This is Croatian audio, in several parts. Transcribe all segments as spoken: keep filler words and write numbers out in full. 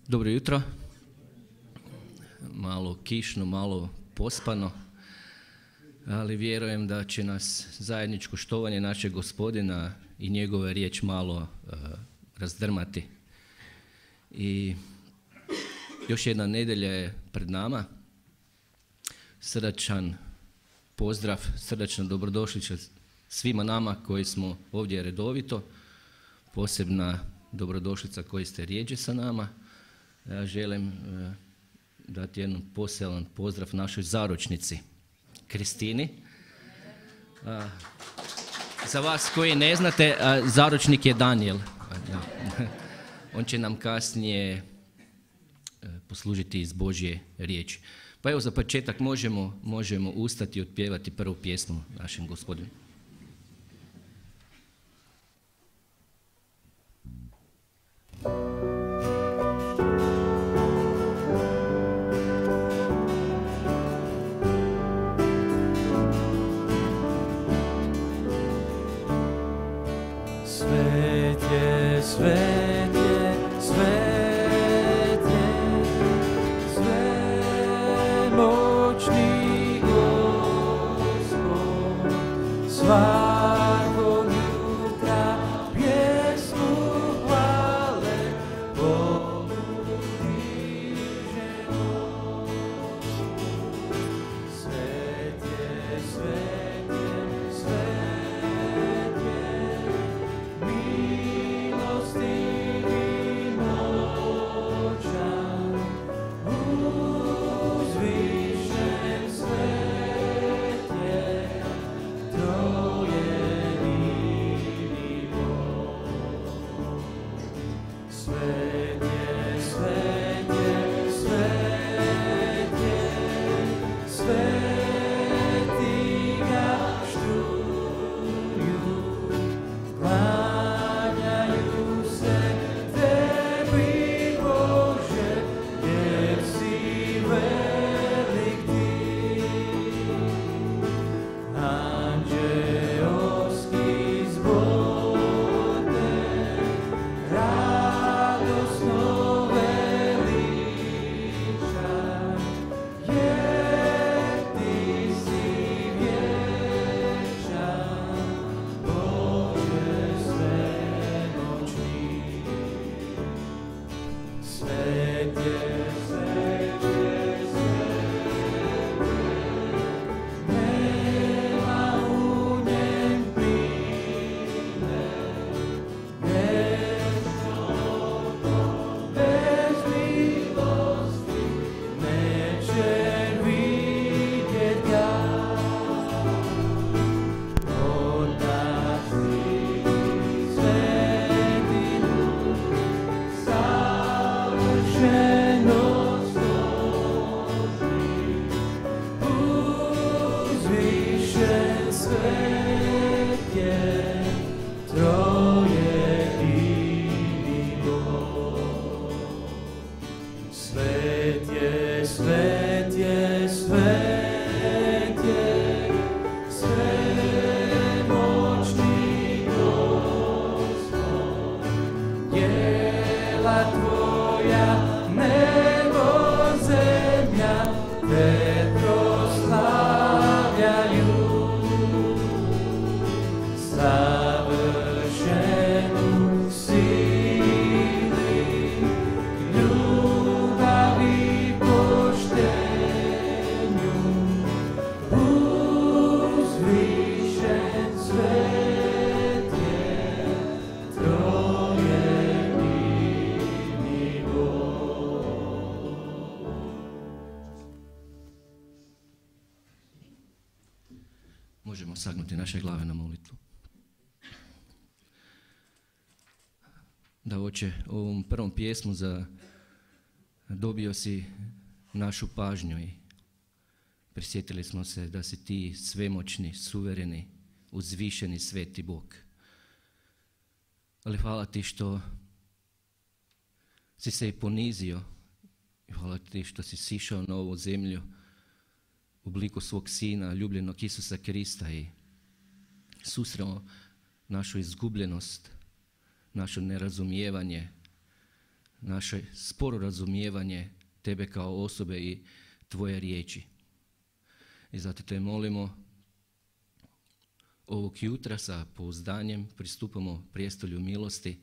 Dobro jutro. Malo kišno, malo pospano, ali vjerujem da će nas zajedničko štovanje našeg Gospodina i njegova riječ malo uh, razdrmati. I još jedna nedjelja je pred nama. Srdačan pozdrav, srdačna dobrodošlica svima nama koji smo ovdje redovito, posebna dobrodošlica koji ste rijeđe sa nama. Ja želim uh, dati jedan poseban pozdrav našoj zaručnici, Kristini. A, za vas koji ne znate, a, zaručnik je Daniel. A, on će nam kasnije a, poslužiti iz Božje riječi. Pa evo za početak možemo, možemo ustati i otpjevati prvu pjesmu našem Gospodinu. Možemo sagnuti naše glave na molitvu. Da, Oče, ovom prvom pjesmu za dobio si našu pažnju i prisjetili smo se da si ti svemoćni, suvereni, uzvišeni, sveti Bog. Ali hvala ti što si se i ponizio i hvala ti što si sišao na ovu zemlju u obliku svog Sina, ljubljenog Isusa Krista i susremo našu izgubljenost, naše nerazumijevanje, naše sporo razumijevanje Tebe kao osobe i Tvoje riječi. I zato Te molimo, ovog jutra sa pouzdanjem pristupamo prijestolju milosti,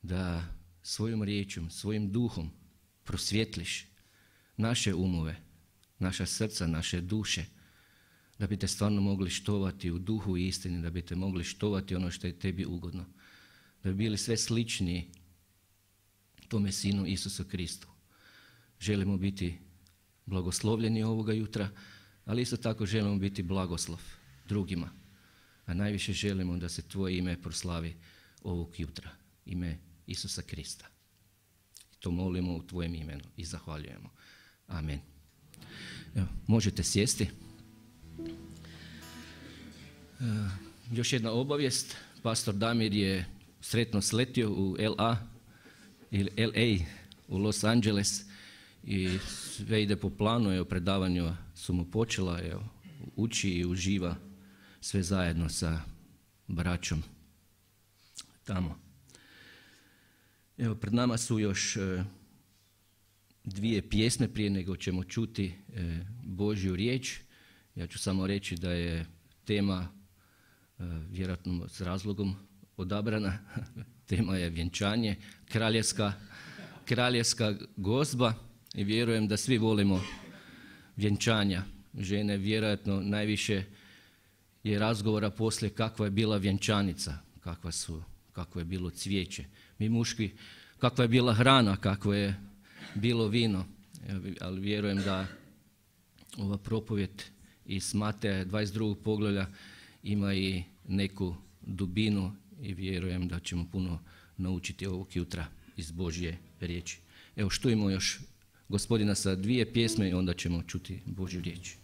da svojom riječom, svojim duhom prosvjetliš naše umove, naša srca, naše duše, da bi Te stvarno mogli štovati u duhu i istini, da bi Te mogli štovati ono što je Tebi ugodno, da bi bili sve sličniji Tome Sinu Isusu Kristu. Želimo biti blagoslovljeni ovoga jutra, ali isto tako želimo biti blagoslov drugima, a najviše želimo da se Tvoje ime proslavi ovog jutra, ime Isusa Krista. To molimo u Tvojem imenu i zahvaljujemo. Amen. Evo, možete sjesti. Uh, još jedna obavijest. Pastor Damir je sretno sletio u L A ili L A u Los Angeles i sve ide po planu. Evo, predavanja su mu počela, evo, uči i uživa sve zajedno sa braćom tamo. Evo, pred nama su još e, dvije pjesme prije nego ćemo čuti e, Božju riječ. Ja ću samo reći da je tema e, vjerojatno s razlogom odabrana. Tema je vjenčanje, kraljevska, kraljevska gozba i vjerujem da svi volimo vjenčanja. Žene vjerojatno najviše je razgovora poslije kakva je bila vjenčanica, kakva su, kakvo je bilo cvijeće. Mi muški, kakva je bila hrana, kakvo je bilo vino. Ali vjerujem da ova propovjed iz Mateja dvadeset drugog poglavlja ima i neku dubinu i vjerujem da ćemo puno naučiti ovog jutra iz Božje riječi. Evo, štujemo još Gospodina sa dvije pjesme i onda ćemo čuti Božju riječ.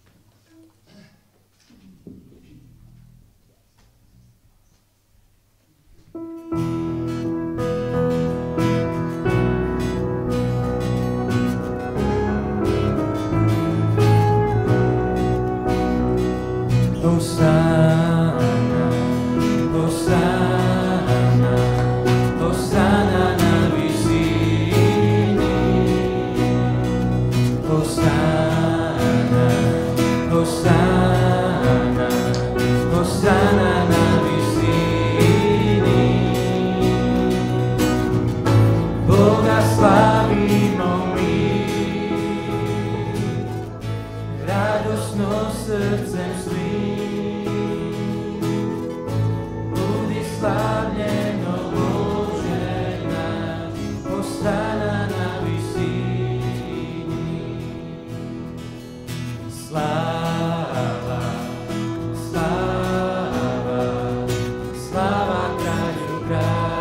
Slava kraju kraljeva.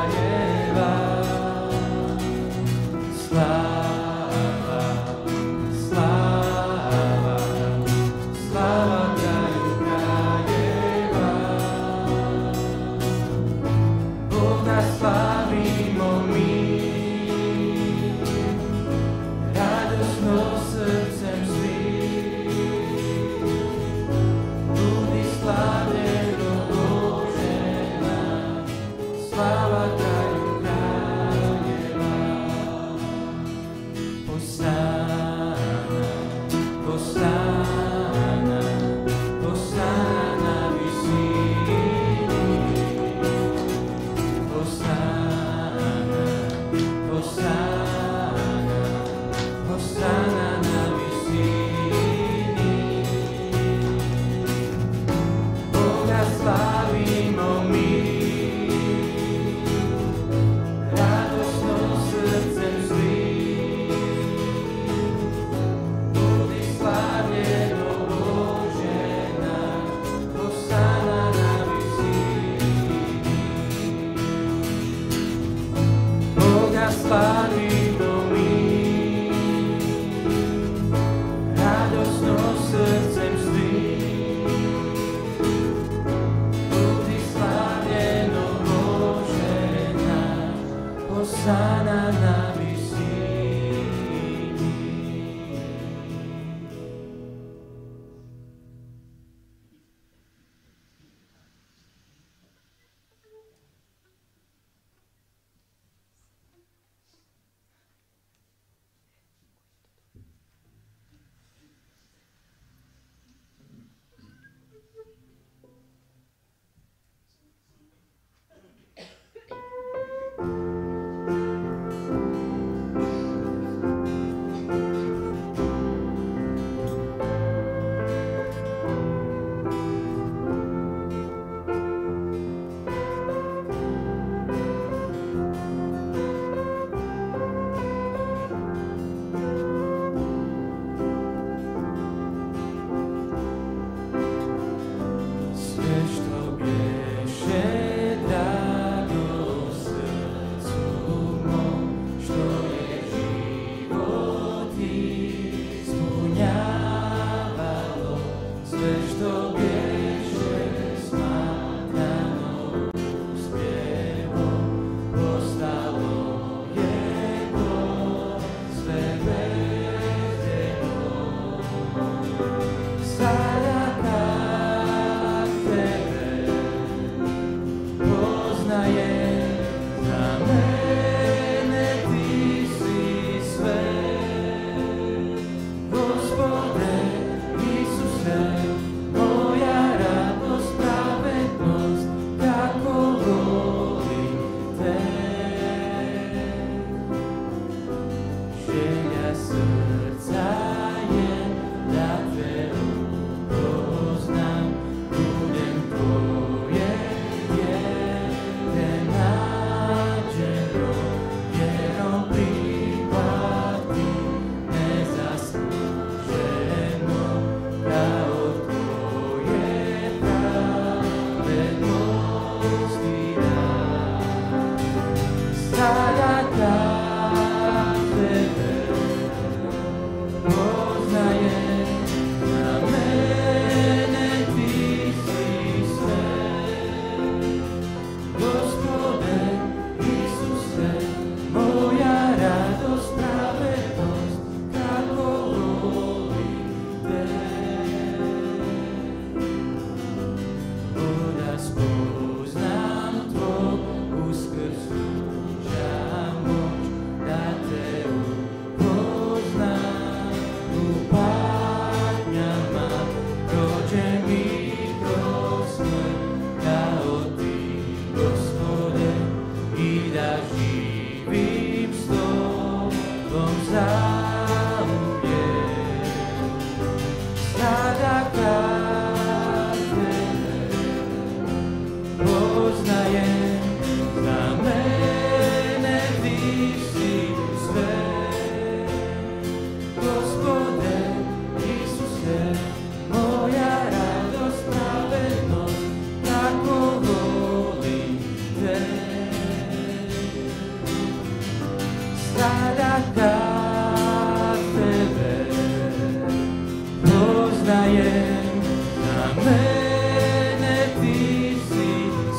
Znajem da mene ti si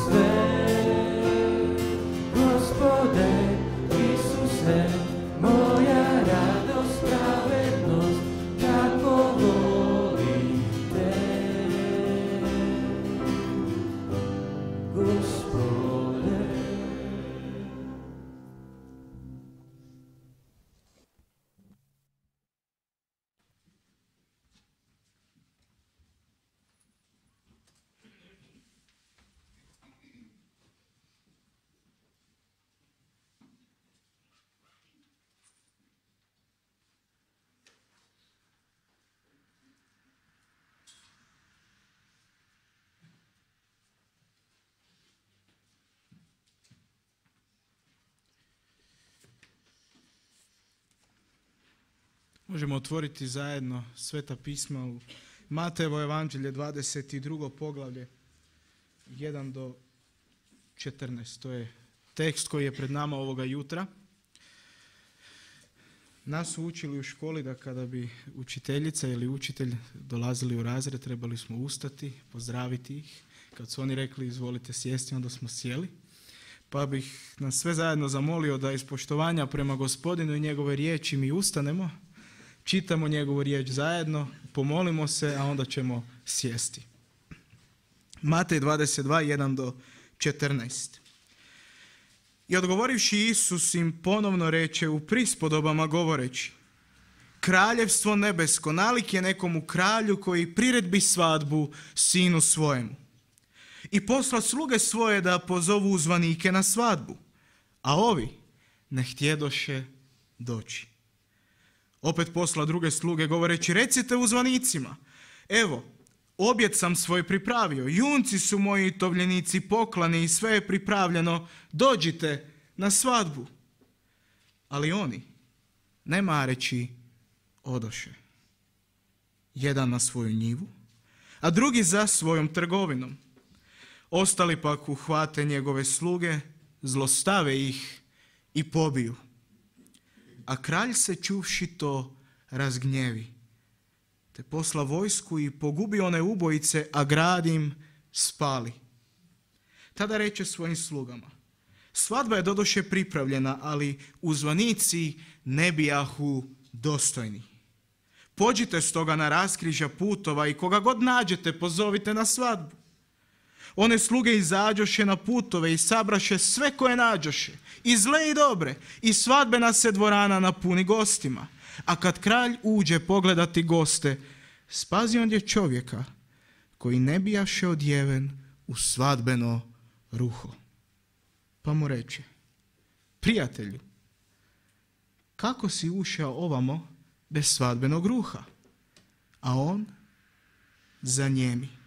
sve, Gospode Isuse, moja radost, pravednost, kako volim te, Gospode. Možemo otvoriti zajedno Sveta pisma u Matejevo evanđelje dvadeset drugo poglavlje jedan do četrnaest. To je tekst koji je pred nama ovoga jutra. Nas su učili u školi da kada bi učiteljica ili učitelj dolazili u razred, trebali smo ustati, pozdraviti ih. Kad su oni rekli izvolite sjesti, onda smo sjeli. Pa bih nas sve zajedno zamolio da iz poštovanja prema Gospodinu i njegove riječi mi ustanemo, čitamo njegovu riječ zajedno, pomolimo se, a onda ćemo sjesti. Matej dvadeset dva, jedan do četrnaest. I odgovorivši Isus im ponovno reče u prispodobama govoreći: Kraljevstvo nebesko nalik je nekomu kralju koji priredbi svadbu sinu svojemu. I posla sluge svoje da pozovu uzvanike na svadbu, a ovi ne htjedoše doći. Opet posla druge sluge govoreći: recite uzvanicima, evo, objed sam svoj pripravio, junci su moji tovljenici poklani i sve je pripravljeno, dođite na svadbu. Ali oni, ne mareći, odoše. Jedan na svoju njivu, a drugi za svojom trgovinom. Ostali pak uhvate njegove sluge, zlostave ih i pobiju. A kralj se čuvši to razgnjevi, te posla vojsku i pogubi one ubojice, a grad im spali. Tada reče svojim slugama: svadba je doduše pripravljena, ali uzvanici ne bijahu dostojni. Pođite stoga na raskrižja putova i koga god nađete pozovite na svadbu. One sluge izađoše na putove i sabraše sve koje nađoše, i zle i dobre, i svadbena se dvorana napuni gostima. A kad kralj uđe pogledati goste, spazi ondje čovjeka koji ne bijaše odjeven u svadbeno ruho. Pa mu reče: prijatelju, kako si ušao ovamo bez svadbenog ruha? A on zanjemi.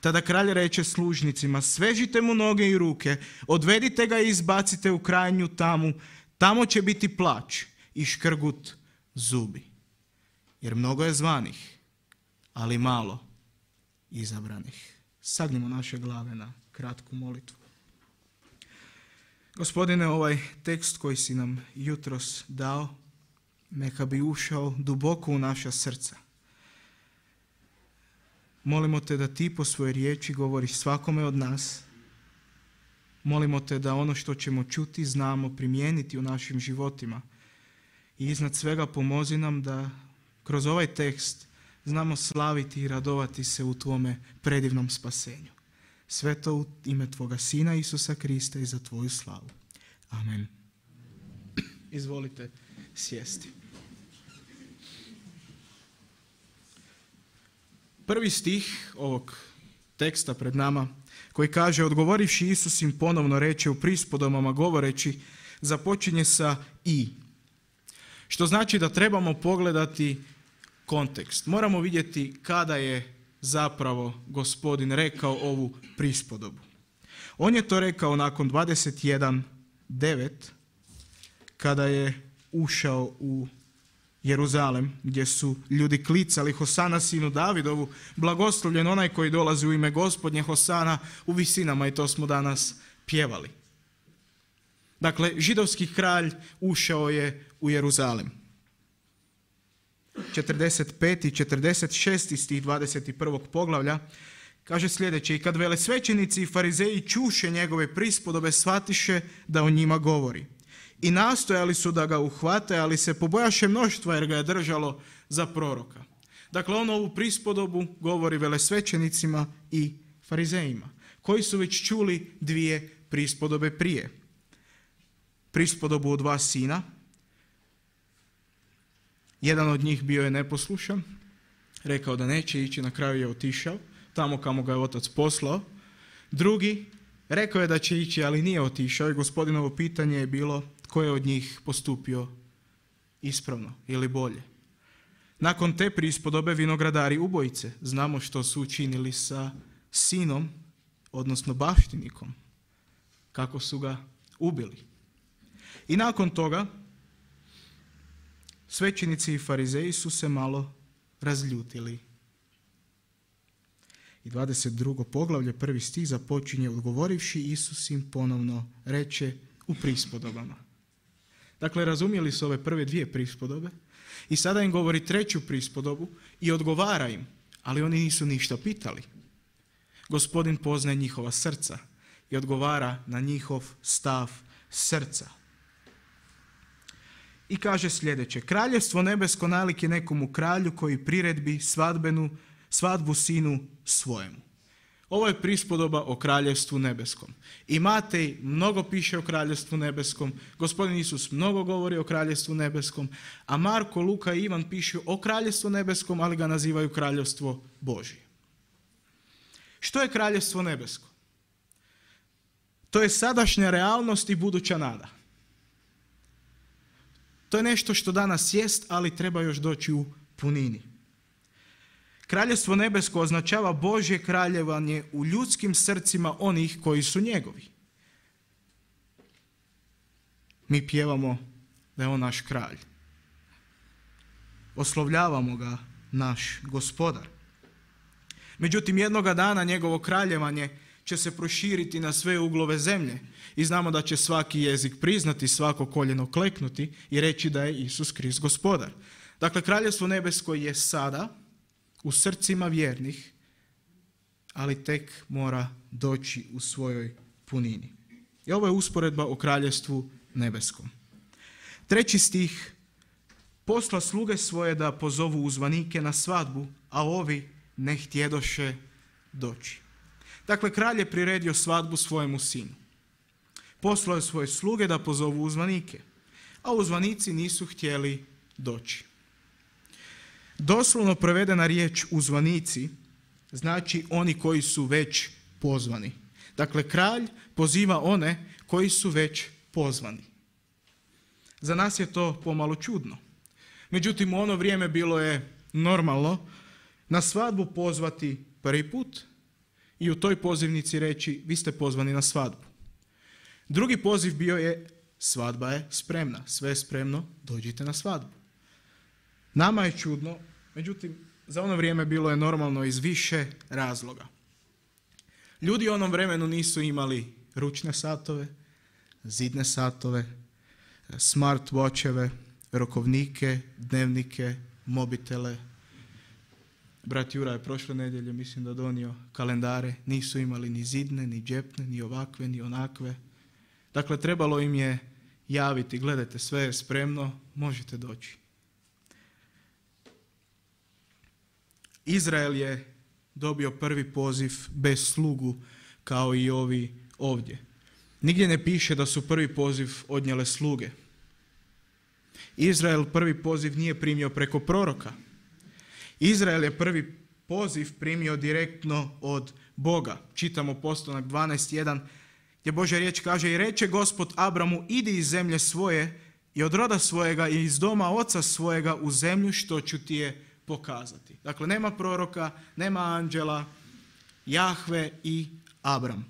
Tada kralj reče služnicima: svežite mu noge i ruke, odvedite ga i izbacite u krajnju tamu, tamo će biti plač i škrgut zubi. Jer mnogo je zvanih, ali malo izabranih. Sagnimo naše glave na kratku molitvu. Gospodine, ovaj tekst koji si nam jutros dao, neka bi ušao duboko u naša srca. Molimo te da ti po svojoj riječi govoriš svakome od nas. Molimo te da ono što ćemo čuti znamo primijeniti u našim životima. I iznad svega pomozi nam da kroz ovaj tekst znamo slaviti i radovati se u tvome predivnom spasenju. Sve to u ime tvoga Sina Isusa Krista i za tvoju slavu. Amen. Izvolite sjesti. Prvi stih ovog teksta pred nama koji kaže: odgovorivši Isus im ponovno reče u prispodobama govoreći, započinje sa i. Što znači da trebamo pogledati kontekst. Moramo vidjeti kada je zapravo Gospodin rekao ovu prispodobu. On je to rekao nakon dvadeset jedan devet kada je ušao u Jeruzalem, gdje su ljudi klicali: Hosana sinu Davidovu, blagoslovljen onaj koji dolazi u ime Gospodnje, Hosana u visinama, i to smo danas pjevali. Dakle, židovski kralj ušao je u Jeruzalem. četrdeset pet i četrdeset šest stih dvadeset prvog poglavlja, kaže sljedeće: i kad velesvećenici i farizeji čuše njegove prispodobe, shvatiše da o njima govori. I nastojali su da ga uhvate, ali se pobojaše mnoštva jer ga je držalo za proroka. Dakle, on ovu prispodobu govori velesvećenicima i farizejima, koji su već čuli dvije prispodobe prije. Prispodobu o dva sina. Jedan od njih bio je neposlušan, rekao da neće ići, na kraju je otišao tamo kamo ga je otac poslao. Drugi rekao je da će ići, ali nije otišao, i Gospodinovo pitanje je bilo tko je od njih postupio ispravno ili bolje. Nakon te prispodobe vinogradari ubojice, znamo što su učinili sa sinom, odnosno baštinikom, kako su ga ubili. I nakon toga svećenici i farizeji su se malo razljutili. I dvadeset drugo poglavlje, prvi stih započinje: odgovorivši Isus im ponovno reče u prispodobama. Dakle, razumjeli su ove prve dvije prispodobe i sada im govori treću prispodobu i odgovara im, ali oni nisu ništa pitali. Gospodin poznaje njihova srca i odgovara na njihov stav srca. I kaže sljedeće: kraljevstvo nebesko nalik je nekomu kralju koji priredbi svadbenu, svadbu sinu svojemu. Ovo je prispodoba o kraljevstvu nebeskom. I Matej mnogo piše o kraljevstvu nebeskom, Gospodin Isus mnogo govori o kraljevstvu nebeskom, a Marko, Luka i Ivan pišu o kraljevstvu nebeskom, ali ga nazivaju kraljevstvo Božje. Što je kraljevstvo nebesko? To je sadašnja realnost i buduća nada. To je nešto što danas jest, ali treba još doći u punini. Kraljevstvo nebesko označava Božje kraljevanje u ljudskim srcima onih koji su njegovi. Mi pjevamo da je on naš kralj. Oslovljavamo ga naš gospodar. Međutim, jednoga dana njegovo kraljevanje će se proširiti na sve uglove zemlje i znamo da će svaki jezik priznati, svako koljeno kleknuti i reći da je Isus Krist gospodar. Dakle, kraljevstvo nebesko je sada u srcima vjernih, ali tek mora doći u svojoj punini. I ovo je usporedba o kraljevstvu nebeskom. Treći stih: posla sluge svoje da pozovu uzvanike na svadbu, a ovi ne htjedoše doći. Dakle, kralj je priredio svadbu svojemu sinu. Poslao je svoje sluge da pozovu uzvanike, a uzvanici nisu htjeli doći. Doslovno prevedena riječ uzvanici znači oni koji su već pozvani. Dakle, kralj poziva one koji su već pozvani. Za nas je to pomalo čudno. Međutim, u ono vrijeme bilo je normalno na svadbu pozvati prvi put i u toj pozivnici reći: vi ste pozvani na svadbu. Drugi poziv bio je: svadba je spremna, sve je spremno, dođite na svadbu. Nama je čudno, međutim, za ono vrijeme bilo je normalno iz više razloga. Ljudi u onom vremenu nisu imali ručne satove, zidne satove, smart watcheve, rokovnike, dnevnike, mobitele. Brat Jura je prošle nedjelje, mislim da donio kalendare, nisu imali ni zidne, ni džepne, ni ovakve, ni onakve. Dakle, trebalo im je javiti: gledajte, sve je spremno, možete doći. Izrael je dobio prvi poziv bez slugu, kao i ovi ovdje. Nigdje ne piše da su prvi poziv odnijele sluge. Izrael prvi poziv nije primio preko proroka. Izrael je prvi poziv primio direktno od Boga. Čitamo Postanak dvanaest jedan, gdje Božja riječ kaže: i reče Gospod Abramu, idi iz zemlje svoje i od roda svojega i iz doma oca svojega u zemlju što ću ti je pokazati. Dakle, nema proroka, nema anđela, Jahve i Abram.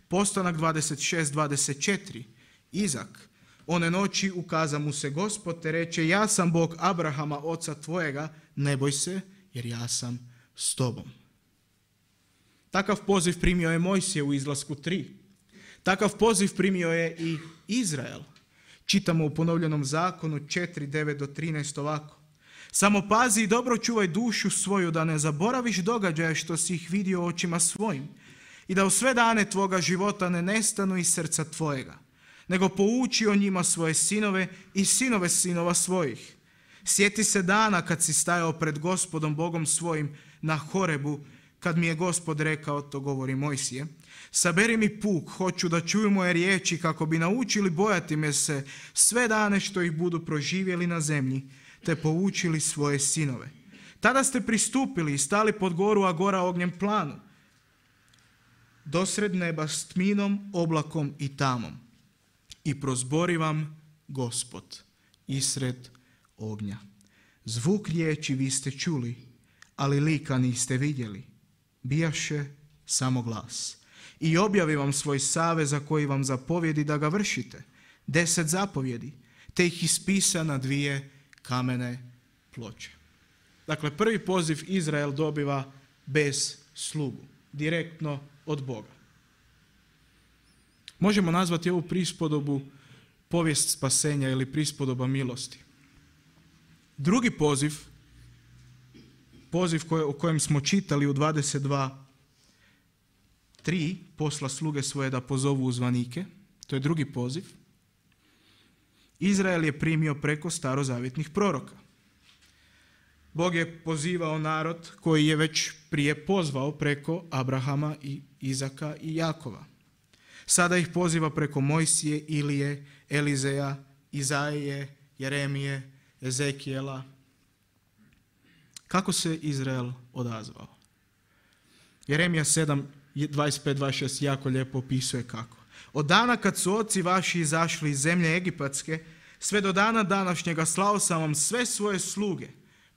Postanak dvadeset šest dvadeset četiri, Izak: one noći ukaza mu se Gospod te reče: ja sam Bog Abrahama, oca tvojega, ne boj se, jer ja sam s tobom. Takav poziv primio je Mojsije u Izlasku tri. Takav poziv primio je i Izrael. Čitamo u ponovljenom zakonu četiri devet do trinaest ovako: Samo pazi i dobro čuvaj dušu svoju, da ne zaboraviš događaje što si ih vidio očima svojim i da u sve dane tvoga života ne nestanu iz srca tvojega, nego pouči o njima svoje sinove i sinove sinova svojih. Sjeti se dana kad si stajao pred Gospodom Bogom svojim na Horebu, kad mi je Gospod rekao, to govori Mojsije, saberi mi puk, hoću da čuju moje riječi kako bi naučili bojati me se sve dane što ih budu proživjeli na zemlji, te poučili svoje sinove. Tada ste pristupili i stali pod goru, a gora ognjem planu, dosred neba s tminom, oblakom i tamom. I prozbori vam Gospod isred ognja. Zvuk riječi vi ste čuli, ali lika niste vidjeli. Bijaše samo glas. I objavi vam svoj savez za koji vam zapovjedi da ga vršite. Deset zapovjedi, te ih ispisa na dvije kamene ploče. Dakle, prvi poziv Izrael dobiva bez slugu, direktno od Boga. Možemo nazvati ovu prispodobu povijest spasenja ili prispodoba milosti. Drugi poziv, poziv koje, o kojem smo čitali u dvadeset dva tri, posla sluge svoje da pozovu uzvanike, to je drugi poziv. Izrael je primio preko starozavjetnih proroka. Bog je pozivao narod koji je već prije pozvao preko Abrahama i Izaka i Jakova. Sada ih poziva preko Mojsije, Ilije, Elizeja, Izaije, Jeremije, Ezekijela. Kako se Izrael odazvao? Jeremija sedam, dvadeset pet dvadeset šest jako lijepo opisuje kako. Od dana kad su oci vaši izašli iz zemlje egipatske, sve do dana današnjega slao sam vam sve svoje sluge,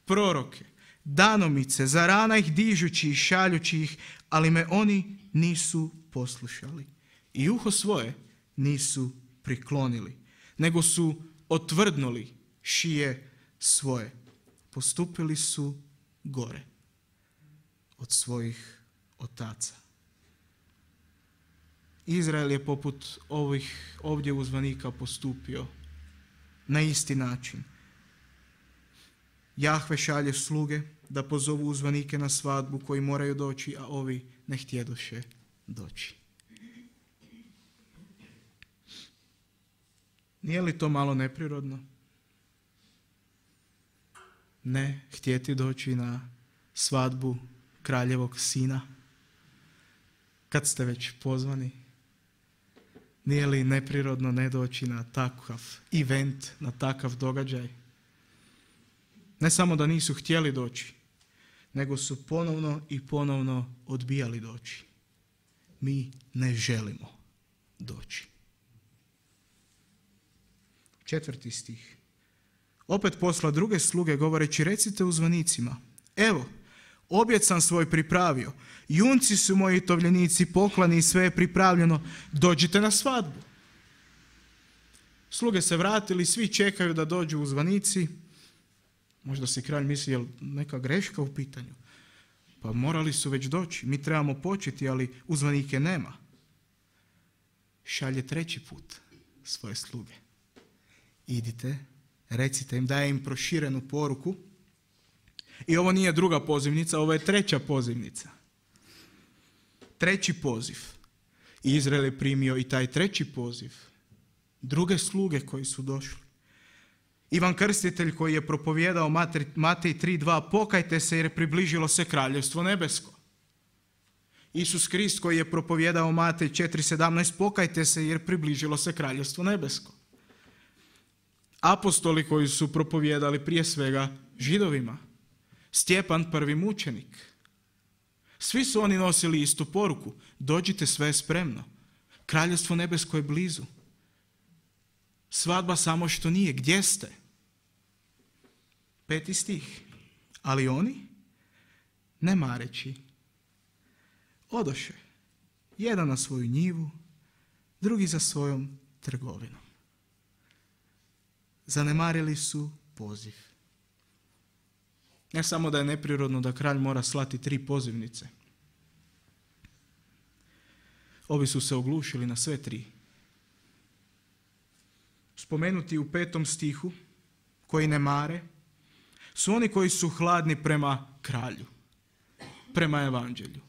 proroke, danomice, za rana ih dižući i šaljući ih, ali me oni nisu poslušali. I uho svoje nisu priklonili, nego su otvrdnuli šije svoje. Postupili su gore od svojih otaca. Izrael je poput ovih ovdje uzvanika postupio na isti način. Jahve šalje sluge da pozovu uzvanike na svadbu koji moraju doći, a ovi ne htjedoše doći. Nije li to malo neprirodno? Ne htjeti doći na svadbu kraljevog sina kad ste već pozvani. Nije li neprirodno ne doći na takav event, na takav događaj? Ne samo da nisu htjeli doći, nego su ponovno i ponovno odbijali doći. Mi ne želimo doći. Četvrti stih. Opet posla druge sluge govoreći, recite uzvanicima, evo, objed sam svoj pripravio, junci su moji tovljenici poklani i sve je pripravljeno, dođite na svadbu. Sluge se vratili, svi čekaju da dođu uzvanici. Možda si kralj misli, je li neka greška u pitanju? Pa morali su već doći, mi trebamo početi, ali uzvanike nema. Šalje treći put svoje sluge. Idite, recite im, daje im proširenu poruku. I ovo nije druga pozivnica, ovo je treća pozivnica. Treći poziv. Izrael je primio i taj treći poziv. Druge sluge koji su došli. Ivan Krstitelj koji je propovijedao Matej tri dva, pokajte se jer približilo se kraljevstvo nebesko. Isus Krist koji je propovijedao Matej četiri sedamnaest, pokajte se jer približilo se kraljevstvo nebesko. Apostoli koji su propovijedali prije svega Židovima. Stjepan prvi mučenik. Svi su oni nosili istu poruku. Dođite, sve je spremno. Kraljevstvo nebesko je blizu. Svadba samo što nije. Gdje ste? Peti stih. Ali oni, ne mareći, odoše. Jedan na svoju njivu, drugi za svojom trgovinom. Zanemarili su poziv. Ne samo da je neprirodno da kralj mora slati tri pozivnice. Ovi su se oglušili na sve tri. Spomenuti u petom stihu, koji ne mare, su oni koji su hladni prema kralju, prema evanđelju.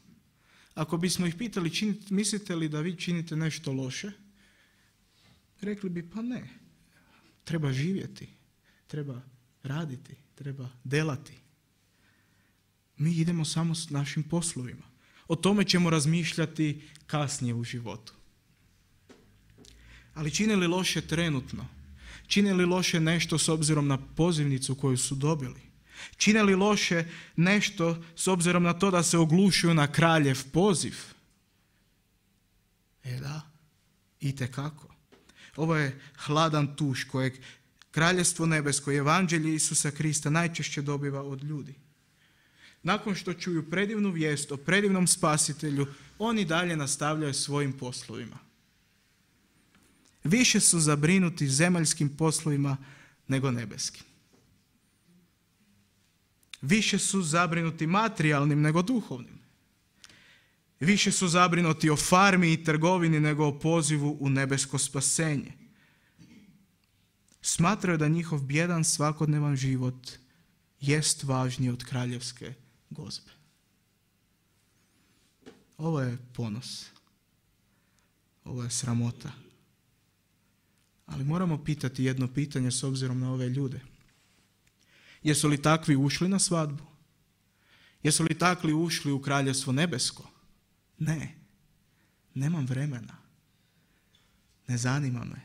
Ako bismo ih pitali, činite, mislite li da vi činite nešto loše? Rekli bi, pa ne. Treba živjeti, treba raditi, treba delati. Mi idemo samo s našim poslovima. O tome ćemo razmišljati kasnije u životu. Ali čine li loše trenutno? Čine li loše nešto s obzirom na pozivnicu koju su dobili? Čine li loše nešto s obzirom na to da se oglušuju na kraljev poziv? E da, itekako. Ovo je hladan tuš kojeg Kraljevstvo nebesko i evanđelje Isusa Krista najčešće dobiva od ljudi. Nakon što čuju predivnu vijest o predivnom spasitelju, oni dalje nastavljaju svojim poslovima. Više su zabrinuti zemaljskim poslovima nego nebeskim. Više su zabrinuti materijalnim nego duhovnim. Više su zabrinuti o farmi i trgovini nego o pozivu u nebesko spasenje. Smatraju da njihov bjedan svakodnevan život jest važniji od kraljevske gozbe. Ovo je ponos. Ovo je sramota. Ali moramo pitati jedno pitanje s obzirom na ove ljude. Jesu li takvi ušli na svadbu? Jesu li takvi ušli u kraljevstvo nebesko? Ne. Nemam vremena. Ne zanima me.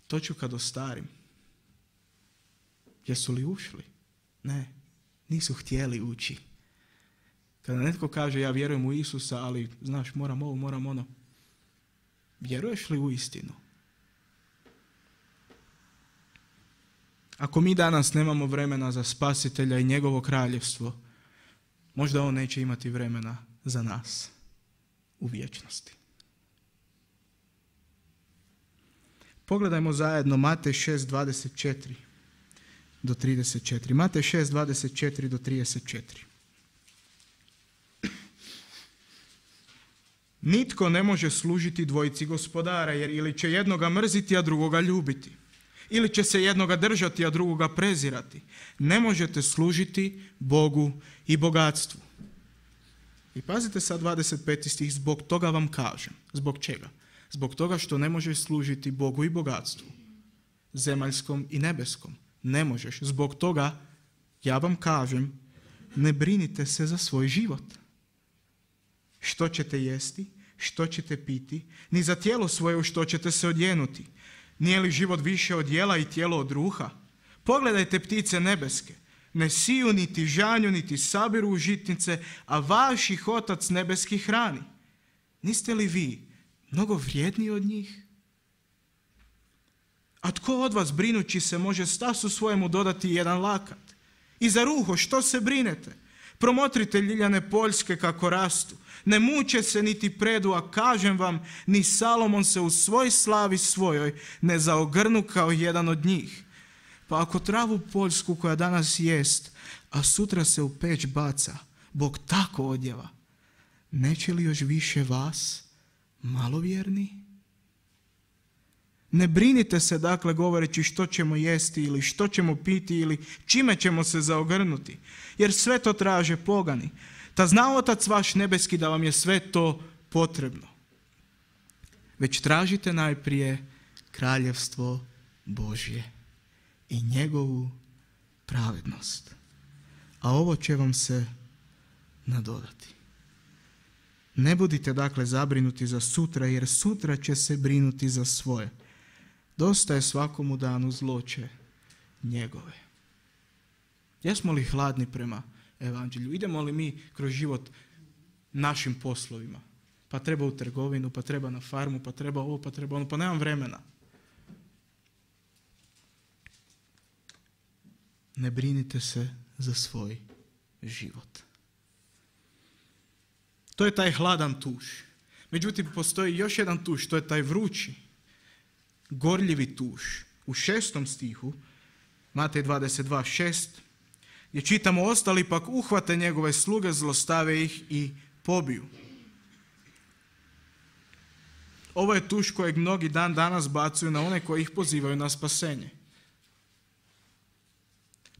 To ću kad ostarim. Jesu li ušli? Ne. Nisu htjeli ući. Kada netko kaže ja vjerujem u Isusa, ali znaš moram ovo, moram ono. Vjeruješ li u istinu? Ako mi danas nemamo vremena za spasitelja i njegovo kraljevstvo, možda on neće imati vremena za nas u vječnosti. Pogledajmo zajedno Matej šest dvadeset četiri do trideset četiri. Matej šest dvadeset četiri do trideset četiri. Nitko ne može služiti dvojici gospodara, jer ili će jednoga mrziti, a drugoga ljubiti. Ili će se jednoga držati, a drugoga prezirati. Ne možete služiti Bogu i bogatstvu. I pazite sad dvadeset peti stih, zbog toga vam kažem. Zbog čega? Zbog toga što ne možeš služiti Bogu i bogatstvu. Zemaljskom i nebeskom. Ne možeš. Zbog toga, ja vam kažem, ne brinite se za svoj život. Što ćete jesti, što ćete piti, ni za tijelo svoje u što ćete se odjenuti. Nije li život više od jela i tijelo od ruha? Pogledajte ptice nebeske. Ne siju, niti žanju, niti sabiru u žitnice, a vaš ih Otac nebeski hrani. Niste li vi mnogo vrijedniji od njih? A tko od vas brinući se može stasu svojemu dodati jedan lakat? I za ruho što se brinete? Promotrite ljiljane poljske kako rastu. Ne muče se niti predu, a kažem vam, ni Salomon se u svoj slavi svojoj ne zaogrnu kao jedan od njih. Pa ako travu poljsku koja danas jest, a sutra se u peć baca, Bog tako odjeva, neće li još više vas, malovjerni? Ne brinite se dakle govoreći što ćemo jesti ili što ćemo piti ili čime ćemo se zaogrnuti, jer sve to traže pogani. Ta zna Otac vaš nebeski da vam je sve to potrebno. Već tražite najprije kraljevstvo Božje i njegovu pravednost, a ovo će vam se nadodati. Ne budite dakle zabrinuti za sutra, jer sutra će se brinuti za svoje. Dosta je svakomu danu zloće njegove. Jesmo li hladni prema evanđelju? Idemo li mi kroz život našim poslovima? Pa treba u trgovinu, pa treba na farmu, pa treba ovo, pa treba ono, pa nemam vremena. Ne brinite se za svoj život. To je taj hladan tuš. Međutim, postoji još jedan tuš, to je taj vrući, gorljivi tuš. U šestom stihu, Matej dvadeset dva šest, gdje čitamo, ostali pak uhvate njegove sluge, zlostave ih i pobiju. Ovo je tuš kojeg mnogi dan danas bacuju na one koji ih pozivaju na spasenje.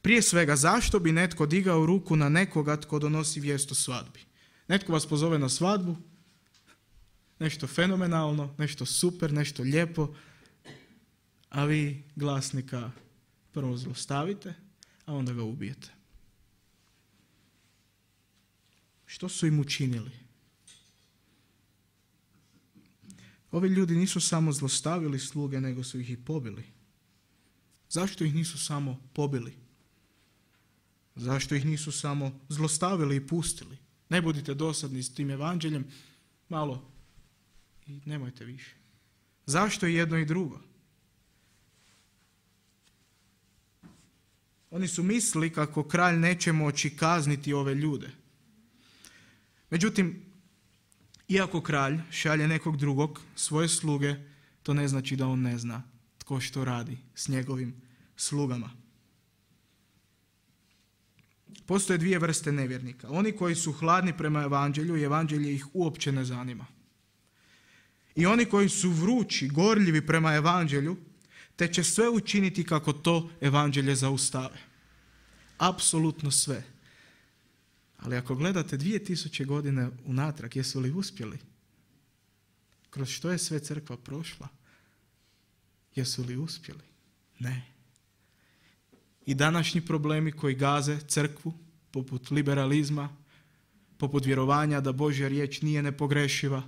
Prije svega, zašto bi netko digao ruku na nekoga tko donosi vijest o svadbi? Netko vas pozove na svadbu, nešto fenomenalno, nešto super, nešto lijepo, a vi glasnika prvo zlostavite, a onda ga ubijete. Što su im učinili? Ovi ljudi nisu samo zlostavili sluge, nego su ih i pobili. Zašto ih nisu samo pobili? Zašto ih nisu samo zlostavili i pustili? Ne budite dosadni s tim evanđeljem, malo i nemojte više. Zašto i jedno i drugo? Oni su mislili kako kralj neće moći kazniti ove ljude. Međutim, iako kralj šalje nekog drugog, svoje sluge, to ne znači da on ne zna tko što radi s njegovim slugama. Postoje dvije vrste nevjernika. Oni koji su hladni prema evanđelju i evanđelje ih uopće ne zanima. I oni koji su vrući, gorljivi prema evanđelju, te će sve učiniti kako to evanđelje zaustave. Apsolutno sve. Ali ako gledate dvije tisuće godine unatrag, jesu li uspjeli? Kroz što je sve crkva prošla? Jesu li uspjeli? Ne. I današnji problemi koji gaze crkvu, poput liberalizma, poput vjerovanja da Božja riječ nije nepogrešiva,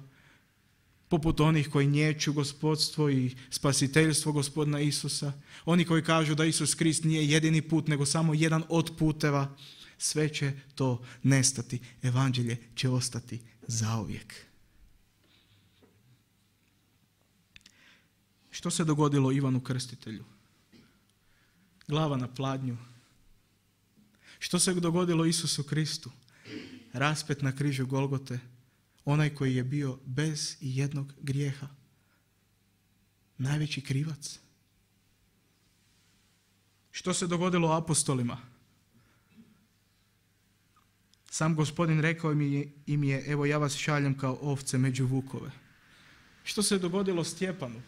poput onih koji niječu gospodstvo i spasiteljstvo Gospodina Isusa, oni koji kažu da Isus Krist nije jedini put, nego samo jedan od puteva, sve će to nestati. Evanđelje će ostati zauvijek. Što se dogodilo Ivanu Krstitelju? Glava na pladnju. Što se dogodilo Isusu Kristu? Raspet na križu Golgote, onaj koji je bio bez jednog grijeha. Najveći krivac. Što se dogodilo apostolima? Sam Gospodin rekao im je, evo ja vas šaljem kao ovce među vukove. Što se dogodilo Stjepanu?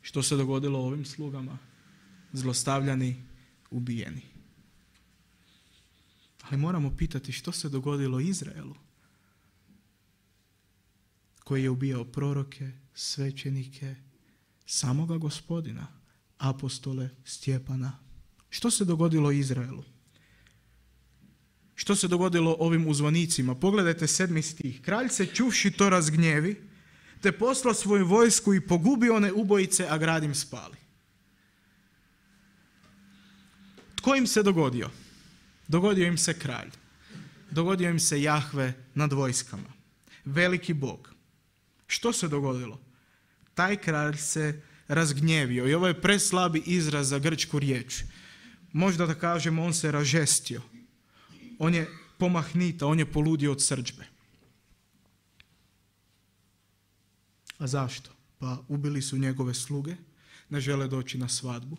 Što se dogodilo ovim slugama? Zlostavljani, ubijeni. Ali moramo pitati što se dogodilo Izraelu, koji je ubijao proroke, svećenike, samoga Gospodina, apostole, Stjepana. Što se dogodilo Izraelu? Što se dogodilo ovim uzvanicima? Pogledajte sedmi stih. Kralj se čuvši to razgnjevi, te poslao svoju vojsku i pogubi one ubojice, a grad im spali. Tko im se dogodio? Dogodio im se kralj. Dogodio im se Jahve nad vojskama. Veliki Bog. Što se dogodilo? Taj kralj se razgnjevio i ovo je preslabi izraz za grčku riječ. Možda da kažemo on se ražestio. On je pomahnita, on je poludio od srdžbe. A zašto? Pa ubili su njegove sluge, ne žele doći na svadbu.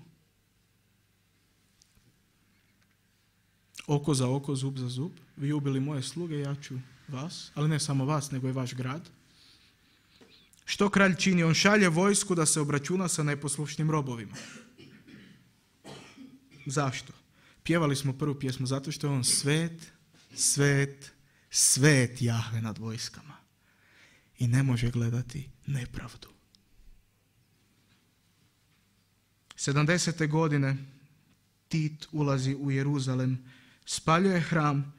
Oko za oko, zub za zub. Vi ubili moje sluge, ja ću vas, ali ne samo vas, nego i vaš grad. Što kralj čini? On šalje vojsku da se obračuna sa neposlušnim robovima. Zašto? Pjevali smo prvu pjesmu zato što je on svet, svet, svet Jahve nad vojskama. I ne može gledati nepravdu. sedamdesete godine Tit ulazi u Jeruzalem, spaljuje hram,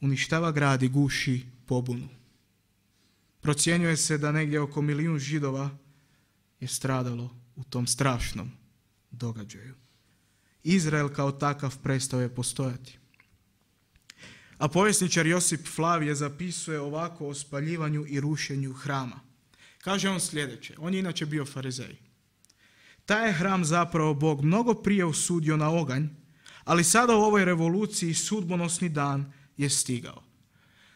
uništava grad i guši pobunu. Procjenjuje se da negdje oko milijun Židova je stradalo u tom strašnom događaju. Izrael kao takav prestao je postojati. A povjesničar Josip Flavije zapisuje ovako o spaljivanju i rušenju hrama. Kaže on sljedeće, on je inače bio farizej. Taj je hram zapravo Bog mnogo prije osudio na oganj, ali sada u ovoj revoluciji sudbonosni dan je stigao.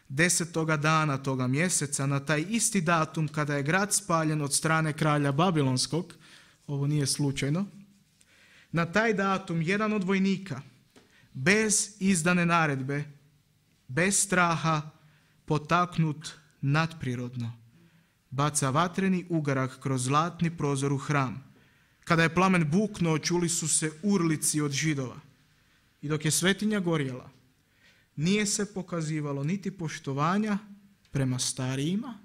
Desetoga dana toga mjeseca, na taj isti datum kada je grad spaljen od strane kralja Babilonskog, ovo nije slučajno, na taj datum jedan od vojnika, bez izdane naredbe, bez straha, potaknut nadprirodno, baca vatreni ugarak kroz zlatni prozor u hram, Kada je plamen buknuo, čuli su se urlici od Židova. I dok je svetinja gorjela, nije se pokazivalo niti poštovanja prema starijima,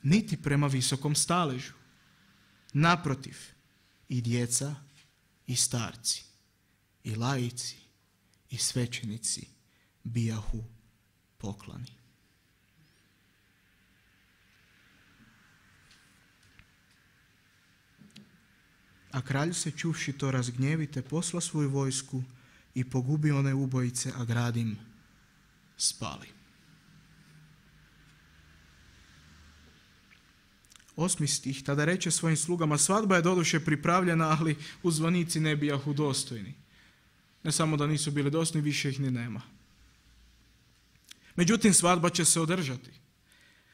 niti prema visokom staležu. Naprotiv, i djeca, i starci, i laici, i svećenici bijahu poklani. A kralj se čuvši to razgnjevi, te posla svoju vojsku i pogubi one ubojice, a grad im spali. Osmi stih, tada reče svojim slugama, svadba je doduše pripravljena, ali uzvanici ne bijahu dostojni. Ne samo da nisu bili dostojni, više ih ni nema. Međutim, svadba će se održati.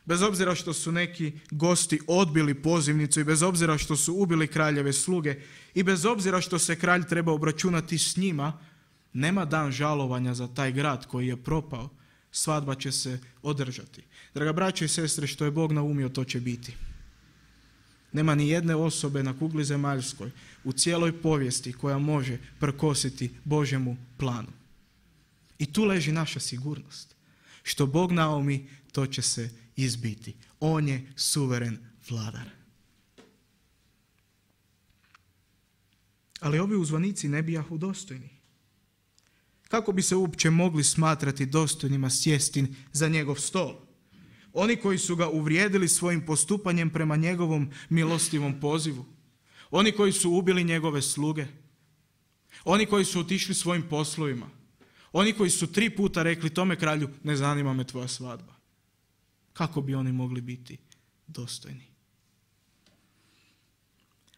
Bez obzira što su neki gosti odbili pozivnicu i bez obzira što su ubili kraljeve sluge i bez obzira što se kralj treba obračunati s njima, nema dan žalovanja za taj grad koji je propao. Svadba će se održati. Draga braće i sestre, što je Bog naumio, to će biti. Nema ni jedne osobe na kugli zemaljskoj u cijeloj povijesti koja može prkositi Božjemu planu. I tu leži naša sigurnost. Što Bog naumi, to će se izbiti. On je suveren vladar. Ali ovi uzvanici ne bijahu dostojni. Kako bi se uopće mogli smatrati dostojnima sjesti za njegov stol? Oni koji su ga uvrijedili svojim postupanjem prema njegovom milostivom pozivu. Oni koji su ubili njegove sluge. Oni koji su otišli svojim poslovima. Oni koji su tri puta rekli tome kralju, ne zanima me tvoja svadba. Kako bi oni mogli biti dostojni?